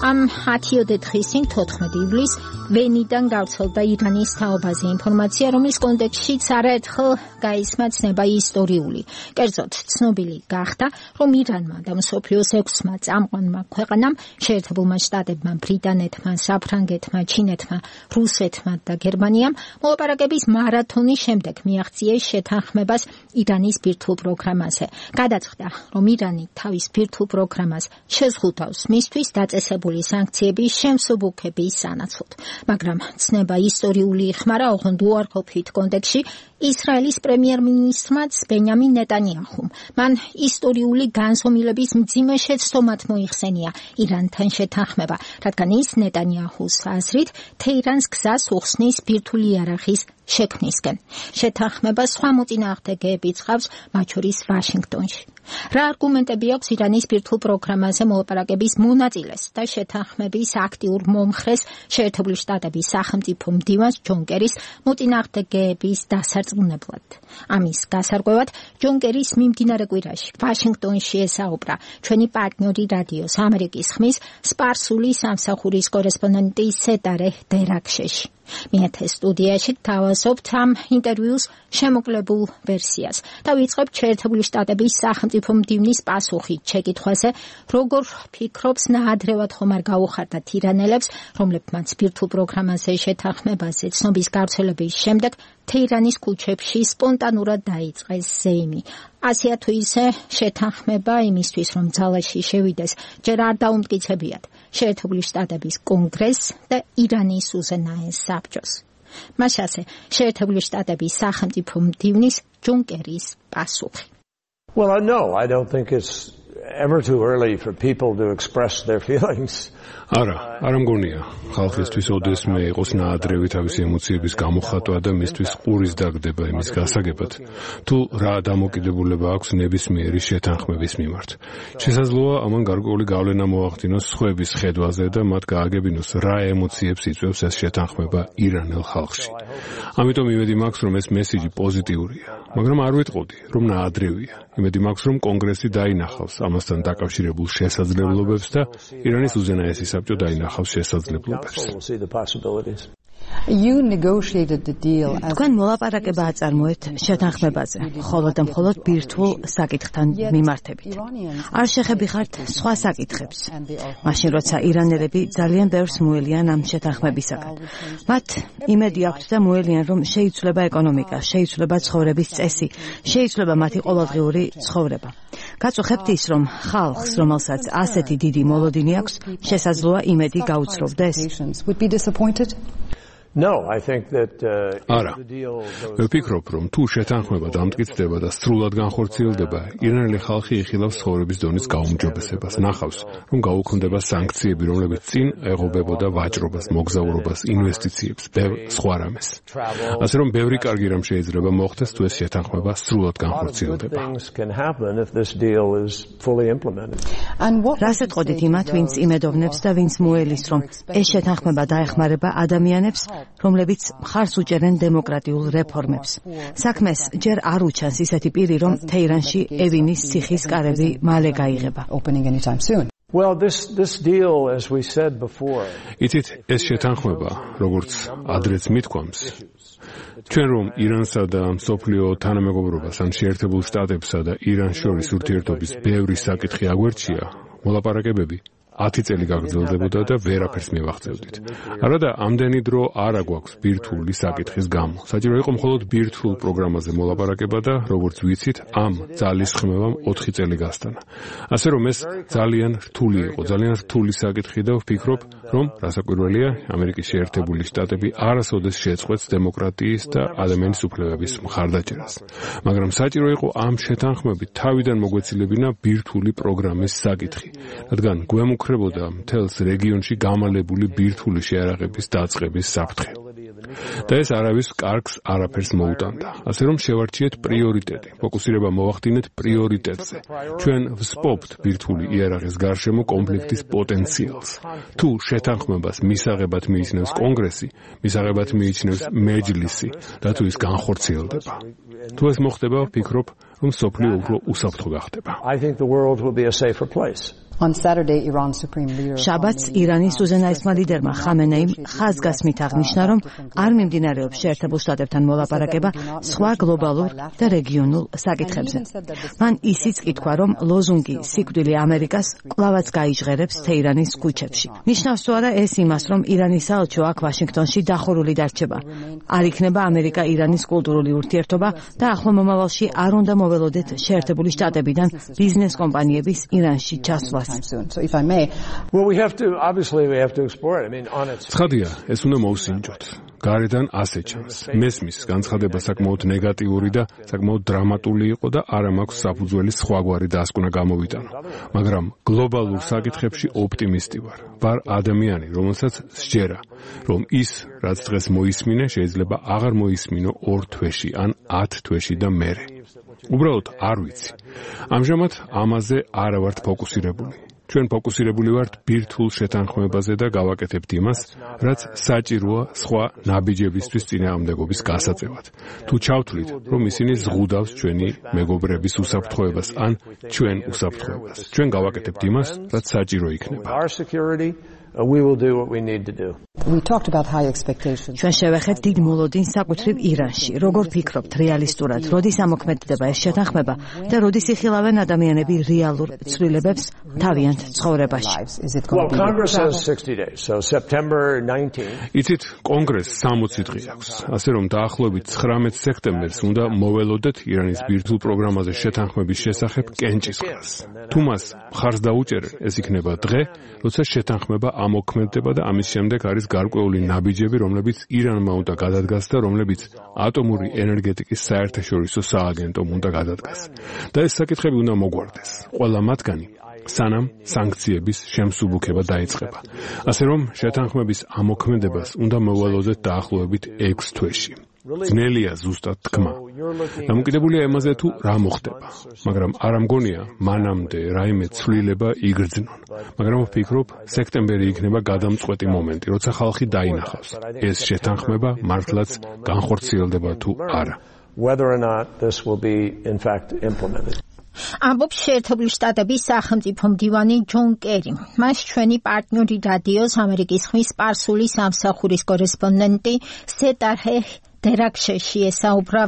Am 10 დღის წინ 14 ივლისს ვენიდან გავრცელდა ირანის თაობაზე ინფორმაცია, რომლის კონტექსტშიც არაერთხელ გაისმა ცნება ისტორიული. კერძოდ, ცნობილი გახდა, რომ ირანმა და მსოფლიოს 6-მა წამყვანმა ქვეყანამ, შეერთებულმა შტატებმა, ბრიტანეთმა, საფრანგეთმა, ჩინეთმა, რუსეთმა და გერმანიამ მოლაპარაკების მარათონის შემდეგ მიაღწიეს შეთანხმებას ირანის ბირთვულ პროგრამაზე. გადაწყდა, რომ ირანი თავის ბირთვულ პროგრამას შეზღუდავს მისთვის დაწესებული სანქციების შემსუბუქების სანაცვლოდ. მაგრამ ცნება ისტორიული იხმარა ოღონდ უარყოფით კონტექსტში ისრაელის პრემიერ-მინისტრმაც ბენიამინ ნეტანიაჰუმ. მან ისტორიული განზომილების მძიმე შეცდომად მოიხსენია ირანთან შეთანხმება, რადგან ის ნეტანიაჰუს აზრით თეირანს გზას უხსნის ბირთვული იარაღის შექმნისკენ. შეთანხმება სხვა მოწინააღმდეგეებიც ჰყავს, მათ შორის ვაშინგტონში. რა არგუმენტები აქვს ირანის ბირთვულ პროგრამაზე მოლაპარაკების მონაწილეს და შეთანხმების აქტიურ მომხრეს შეერთებული შტატების სახელმწიფო მდივანს ჯონ კერის მოწინააღმდეგეების დასარწმუნებლად. ამის გასარკვევად ჯონ კერის მიმდინარე კვირაში ვაშინგტონში ესაუბრა ჩვენი პარტნიორი რადიოს ამერიკის ხმის სპარსული სამსახურის კორესპონდენტი სეტარე დერაქშეში. მიეთე სტუდიაში თავაზობთ ამ ინტერვიუს შემოკლებულ ვერსიას და ვიწყებთ შეერთებული შტატების სახელმწიფო მდივნის პასუხით შეკითხვაზე, როგორ ფიქრობს ნაადრევად ხომ არ გაუხარდათ ირანელებს, რომლებმაც ბირთვულ პროგრამაზე შეთანხმებაზე ცნობის გავრცელების შემდეგ თეირანის ქუჩებში სპონტანურად დაიწყეს ზეიმი. ასეა თუ ისე შეთანხმება იმისთვის, რომ ძალაში შევიდეს, ჯერ არ დაუმტკიცებიათ შეერთებული შტატების კონგრესს და ირანის უზენაეს საბჭოს. მას ასე შეერთებული შტატების სახელმწიფო მდივნის ჯონ კერის პასუხი. Well, no, I don't think it's ever too early for people to express their feelings. არა მგონია ხალხისთვის ოდესმე იყოს ნაადრევი თავისი ემოციების გამოხატვა და მისთვის ყურის დაგდება იმის გასაგებად, თუ რა დამოკიდებულება აქვს ნებისმიერი შეთანხმების მიმართ. შესაძლოა ამან გარკვეული გავლენა მოახდინოს სხვების ხედვაზე და მათ გააგებინოს რა ემოციებს იწვევს ეს შეთანხმება ირანელ ხალხში. ამიტომ იმედი მაქვს, რომ ეს მესიჯი პოზიტიურია, მაგრამ არ ვიტყოდი, რომ ნაადრევია. იმედი მაქვს, რომ კონგრესი დაინახავს ამასთან დაკავშირებულ შესაძლებლობებს და ირანის უზენაესი საბჭო დაინახავს შესაძლებლობებს. თქვენ მოლაპარაკება აწარმოეთ შეთანხმებაზე, მხოლოდ და მხოლოდ ბირთვულ საკითხთან მიმართებით. არ შეხებიხართ სხვა საკითხებს. მაშინ, როცა ირანელები ძალიან ბევრს მოელიან ამ შეთანხმებისაგან. მათ იმედი აქვთ და მოელიან, რომ შეიცვლება ეკონომიკა, შეიცვლება ცხოვრების წესი, შეიცვლება მათი ყოველდღიური ცხოვრება. გაწუხებთ ის, რომ ხალხს, რომელსაც ასეთი დიდი მოლოდინი აქვს, შესაძლოა იმედი გაუცროვდეს. No, I think that არა. მე ვფიქრობ, რომ თუ შეთანხმება დამტკიცდება და სრულად განხორციელდება, ირანელი ხალხი იხილავს ცხოვრების დონის გაუმჯობესებას. ნახავს, რომ გაუქმდება სანქციები, რომლებიც წინ ეღობებოდა ვაჭრობას, მოგზაურობას, ინვესტიციებს, ბევრ სხვა რამეს. ასე რომ ბევრი კარგი რამ შეიძლება მოხდეს, თუ ეს შეთანხმება სრულად განხორციელდება. რას ეტყოდით იმათ, ვინც იმედოვნებს და ვინც მოელის, რომ ეს შეთანხმება დაეხმარება ადამიანებს, რომლებიც მხარს უჭერენ დემოკრატიულ რეფორმებს. საქმეს ჯერ არ უჩანს ისეთი პირი, რომ თეირანში ევინის ციხის კარები მალე გაიღება. Well, this deal, as we said before, იცით, ეს შეთანხმება, როგორც ადრეც მithქვამს, ჩვენ რომ ირანსა და მსოფლიო თანამეგობრობას ან შეერთებულ შტატებსა და ირანს შორის ურთიერთობის ბევრი საკითხი აგვერჩია, მოლაპარაკებები 10 წელი გაგრძელდებოდა და ვერაფერს მივაღწევდით. არადა ამდენი დრო არ აგვაქვს ბირთვული საკითხის გამო. საჭირო იყო მხოლოდ ბირთვულ პროგრამაზე მოლაპარაკება და როგორც ვიცით, ამ ძალის ხმევამ 4 წელი გასტანა. ასე რომ ეს ძალიან რთული იყო, ძალიან რთული საკითხი და ვფიქრობ, რომ რასაკვირველია, ამერიკის შეერთებული შტატები არასოდეს შეწყვეტს დემოკრატიის და ადამიანის უფლებების მხარდაჭერას. მაგრამ საჭირო იყო ამ შეთანხმებით თავიდან მოგვეცილებინა ბირთვული პროგრამის საკითხი, რადგან გვემუქრებოდა მთელს რეგიონში გამალებული ბირთვული შეარაღების დაწყების საფრთხე. და ეს არავის კარგს არაფერს მოუტანდა. ასე რომ შევარჩიეთ პრიორიტეტი, ფოკუსირება მოვახდინეთ პრიორიტეტზე. ჩვენ ვსპობთ ბირთვული იარაღის გარშემო კონფლიქტის პოტენციალს. თუ შეთანხმებას მისაღებად მიიჩნევს კონგრესი, მისაღებად მიიჩნევს მეჯლისი და თუ ის განხორციელდება. თუ ეს მოხდება, ვფიქრობ, რომ სოფლიო უფრო უსაფრთხო გახდება. I think the world will be a safer place. შაბათს ირანის უზენაესმა ლიდერმა ხამენეიმ ხაზგასმით აღნიშნა, რომ არ მიმდინარეობს შეერთებულ შტატებთან მოლაპარაკება სხვა გლობალურ და რეგიონულ საკითხებზე. მან ისიც კითხვა, რომ ლოზუნგი სიკვდილი ამერიკას კვლავაც გაიჟღერებს თეირანის ქუჩებში. ნიშნავს თუ არა ეს იმას, რომ ირანის საელჩო აქ ვაშინგტონში დახურული დარჩება. არ იქნება ამერიკა-ირანის კულტურული ურთიერთობა და ახლო მომავალში არ უნდა მოველოდეთ შეერთებული შტატებიდან ბიზნეს კომპანიების ირანში ჩასვლას. ცხადია, ეს უნდა მოვსინჯოთ. გარედან ასე ჩანს. მესმის განცხადება საკმაოდ ნეგატიური და საკმაოდ დრამატული იყო და არა მაქვს საფუძველი სხვაგვარი დასკვნა გამოვიტანო. მაგრამ გლობალურ საკითხებში ოპტიმისტი ვარ. ვარ ადამიანი, რომელსაც სჯერა, რომ ის, რაც დღეს მოისმინე, შეიძლება აღარ მოისმინო 2 თვეში ან 10 თვეში და მერე. უბრალოდ არ ვიცი. ამჟამად ამაზე არა ვართ ფოკუსირებული. ჩვენ ფოკუსირებული ვართ ბირთვულ შეთანხმებაზე და გავაკეთებთ იმას, რაც საჭიროა სხვა ნაბიჯებისთვის წინააღმდეგობის გასაწევად. თუ ჩავთვლით, რომ ისინი ზღუდავს ჩვენი მეგობრების უსაფრთხოებას ან ჩვენ უსაფრთხოებას, ჩვენ გავაკეთებთ იმას, რაც საჭირო იქნება. We will do what we need to do. ჩვენ შევეხეთ დიდ მოლოდინს საკუთრივ ირანში. როგორ ფიქრობთ რეალისტურად, როდის ამოქმედდება ეს შეთანხმება და როდის იხილავენ ადამიანები რეალურ ცვლილებებს თავიანთ ცხოვრებაში? Well, Congress has 60 days, so September 19. იცით, კონგრესს 60 დღე აქვს. ასე რომ დაახლოებით 19 სექტემბერს უნდა მოველოდეთ ირანის ბირთვულ პროგრამაზე შეთანხმების შესახებ კენჭისყრას. თუ მას მხარს დაუჭერენ, ეს იქნება დღე, როცა შეთანხმება ამოქმედდება და ამის შემდეგ არის გარკვეული ნაბიჯები, რომლებიც ირანმა უნდა გადადგას და რომლებიც ატომური ენერგეტიკის საერთაშორისო სააგენტომ უნდა გადადგას. და ეს საკითხები უნდა მოგვარდეს. ყველა მათგანი სანამ სანქციების შემსუბუქება დაიწყება. ასე რომ შეთანხმების ამოქმედებას უნდა მოვალოდეთ დაახლოებით 6 თვეში. ძნელია ზუსტად თქმა. დამოკიდებულია იმაზე თუ რა მოხდება. მაგრამ არ ამგონია მანამდე რაიმე ცვლილება იგრძნონ. მაგრამ ვფიქრობ, სექტემბერი იქნება გადამწყვეტი მომენტი, როცა ხალხი დაინახავს. ეს შეთანხმება მართლაც განხორციელდება თუ არა. Whether or not this will be in fact implemented. ამბობს შეერთებული შტატების სახელმწიფო მდივანი ჯონ კერი. მას ჩვენი პარტნიორი რადიოს ამერიკის ხმის სპარსული სამსახურის კორესპონდენტი სეტარჰე დერაქშეში ესაუბრა